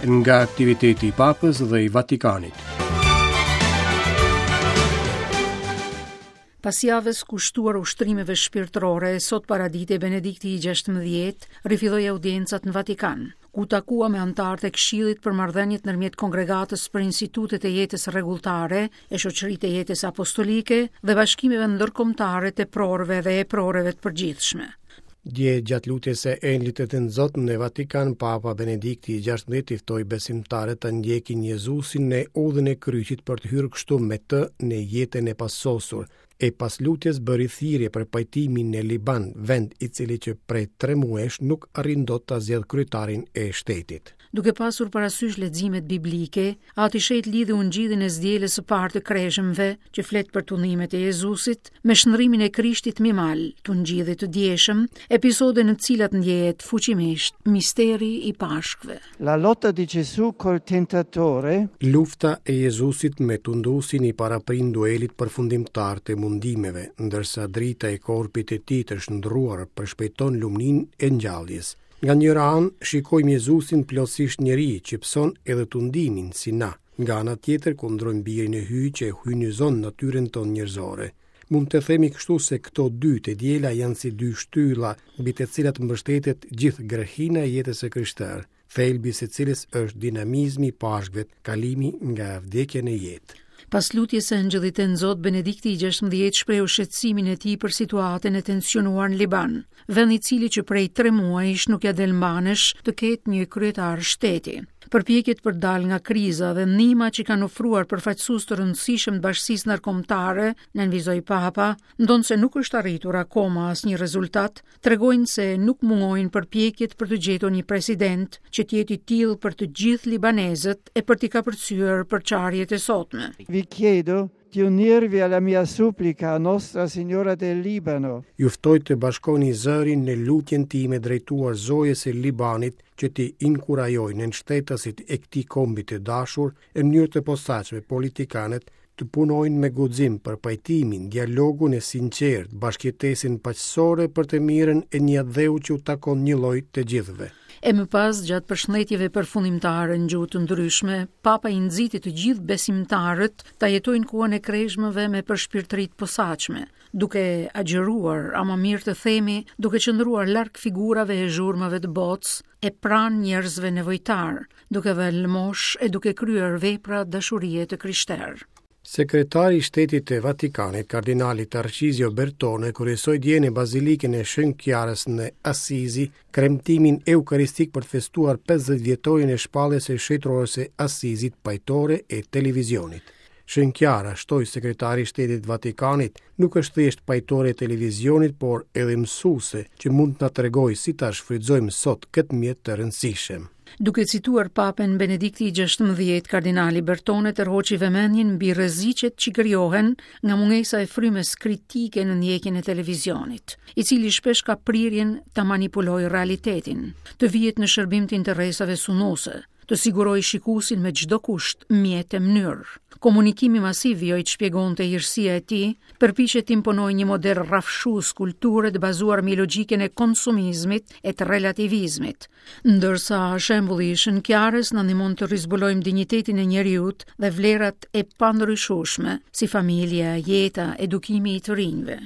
Nga aktiviteti i Papës dhe i Vatikanit. Pas javës kushtuar ushtrimeve shpirtërore, sot paradite Benedikti i 16 rifilloi audiencat në Vatikan, ku u takua me anëtarët e Këshillit për marrëdhëniet ndërmjet Kongregatës për Institutet e Jetës Rregulltare e Shoqëritë e Jetës Apostolike dhe Bashkimeve Ndërkombëtare të Eprorëve dhe Eproreve të Përgjithshme. Dje gjatë lutjes së Engjëllit të Tënzot në Vatikan, Papa Benedikti i XVI i ftoi besimtarët të ndjekin Jezusin në udhën e kryqit për të hyrë kështu me të në jetën e pasosur. E pas lutjes bëri thirrje për pajtimin në Liban, vend i cili që prej tre muajsh nuk arrin dot ta zgjedhë kryetarin e shtetit. Duke pasur parasysh leximet biblike, Ati i Shenjtë lidhi ungjillin e së dielës së parë të Kreshmëve, që flet për tundimet e Jezusit, me shndërrimin e Krishtit mbi mal, të ungjillit të djeshëm, episode në të cilat ndjehet fuqimisht misteri i Pashkëve. La lotta di Gesù col tentatore. Lufta e Jezusit me tunduesin i paraprin duelit përfundimtar të mundimeve, ndërsa drita e korpit të tij të shndërruar përshpejton lumninë e ngjalljes. Nga njëra anë, shikojmë Jezusin plotësisht njeri, që pëson edhe tundimin, si na. Nga ana tjetër, kundrojmë Birin e Hyjit që e hyjnizon natyrën tonë njerëzore. Mund të themi kështu se këto dy të diela janë si dy shtylla mbi të cilat mbështetet gjithë grehina e jetës së krishterë, thelbi i së cilës është dinamizmi i Pashkëve, kalimi nga vdekja në jetë. Pas lutjes së Engjëllit Tënzot, Benedikti i 16 shprehu shqetësimin e tij për situatën e tensionuar në Liban, vend i cili që prej tre muajsh nuk ia del mbanë të ketë një kryetar shteti. Përpjekjet për të dalë nga kriza dhe ndihma që kanë ofruar përfaqësues të rëndësishëm të bashkësisë ndërkombëtare, nënvizoi Papa, ndonëse nuk është arritur akoma asnjë rezultat, tregojnë se nuk mungojnë përpjekjet për të gjetur një president që të jetë i tillë për të gjithë libanezët e për t'i kapërcyer përçarjet e sotme. Vi chiedo di unirvi alla mia supplica a Nostra Signora del Libano. Ju ftoj të bashkoni zërin në lutjen time drejtuar Zojës së Libanit që t'i inkurajojë nënshtetasit e këtij kombi të dashur e në mënyrë të posaçme politikanët të punojnë me guxim për pajtimin, dialogun e sinqertë, bashkëjetesën paqësore për të mirën e një atdheu që u takon njëlloj të gjithëve. E më pas, gjatë përshëndetjeve përfundimtare në gjuhë të ndryshme, Papa i nxiti të gjithë besimtarët ta jetojnë kohën e kreshmëve me përshpirtëri të posaçme, duke agjëruar, ama mirë të themi, duke qëndruar larg figurave e zhurmave të botës e pranë njerëzve nevojtarë, duke dhënë lëmoshë e duke kryer vepra dashurie të krishterë. Sekretari i Shtetit të Vatikanit, kardinali Tarcizio Bertone, kryesoi dje në Bazilikën e Shën Kiarës në Asizi kremtimin eukaristik për të festuar 50 vjetorin e shpalljes së shenjtores së Asizit pajtore e televizionit. Shën Kiara, shtoi sekretari i Shtetit të Vatikanit, nuk është thjesht pajtore e televizionit, por edhe mësuese që mund të na tregojë si ta shfrytëzojmë sot këtë mjet të rëndësishëm. Duke cituar Papën Benedikti i XVI, kardinali Bertone tërhoqi vëmendjen mbi rreziqet që krijohen nga mungesa e frymës kritike në ndjekjen e televizionit, i cili shpesh ka prirjen ta manipulojë realitetin, të vihet në shërbim të interesave sunduese, të sigurojë shikuesin me çdo kusht, mjet e mënyrë. Komunikimi masiv vijoi të shpjegonte hirësia e tij, përpiqet të imponojë një model rrafshues kulture të bazuar mbi logjikën e konsumizmit e të relativizmit. Ndërsa shembulli i Shën Kiarës na ndihmon të rizbulojmë dinjitetin e njeriut dhe vlerat e pandryshueshme, si familja, jeta, edukimi i të rinjve.